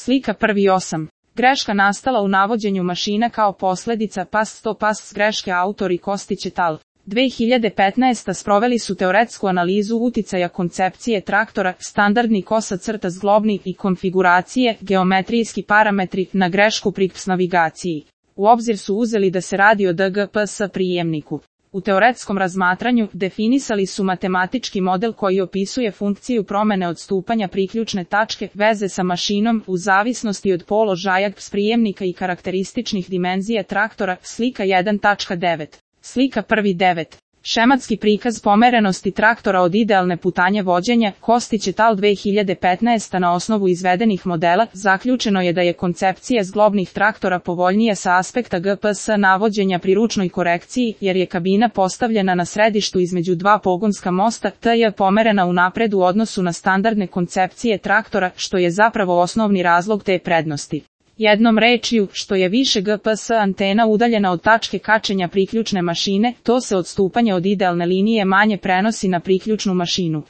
Slika 1.8. Greška nastala u navođenju mašina kao posljedica pas greške autori Kostić et al. 2015. sproveli su teoretsku analizu uticaja koncepcije traktora, standardni kosa-crta zglobni i konfiguracije, geometrijski parametri na grešku pri PS navigaciji. U obzir su uzeli da se radi o DGPS prijemniku. U teoretskom razmatranju definisali su matematički model koji opisuje funkciju promene odstupanja priključne tačke veze sa mašinom u zavisnosti od položaja PS prijemnika i karakterističnih dimenzija traktora. Slika 1.9. Slika 1.9. Šematski prikaz pomerenosti traktora od idealne putanje vođenja. Kostić et al. 2015. Na osnovu izvedenih modela zaključeno je da je koncepcija zglobnih traktora povoljnija sa aspekta GPS navođenja pri ručnoj korekciji, jer je kabina postavljena na središtu između dva pogonska mosta, te je pomerena unapred u odnosu na standardne koncepcije traktora, što je zapravo osnovni razlog te prednosti. Jednom rečju, što je više GPS antena udaljena od tačke kačenja priključne mašine, to se odstupanje od idealne linije manje prenosi na priključnu mašinu.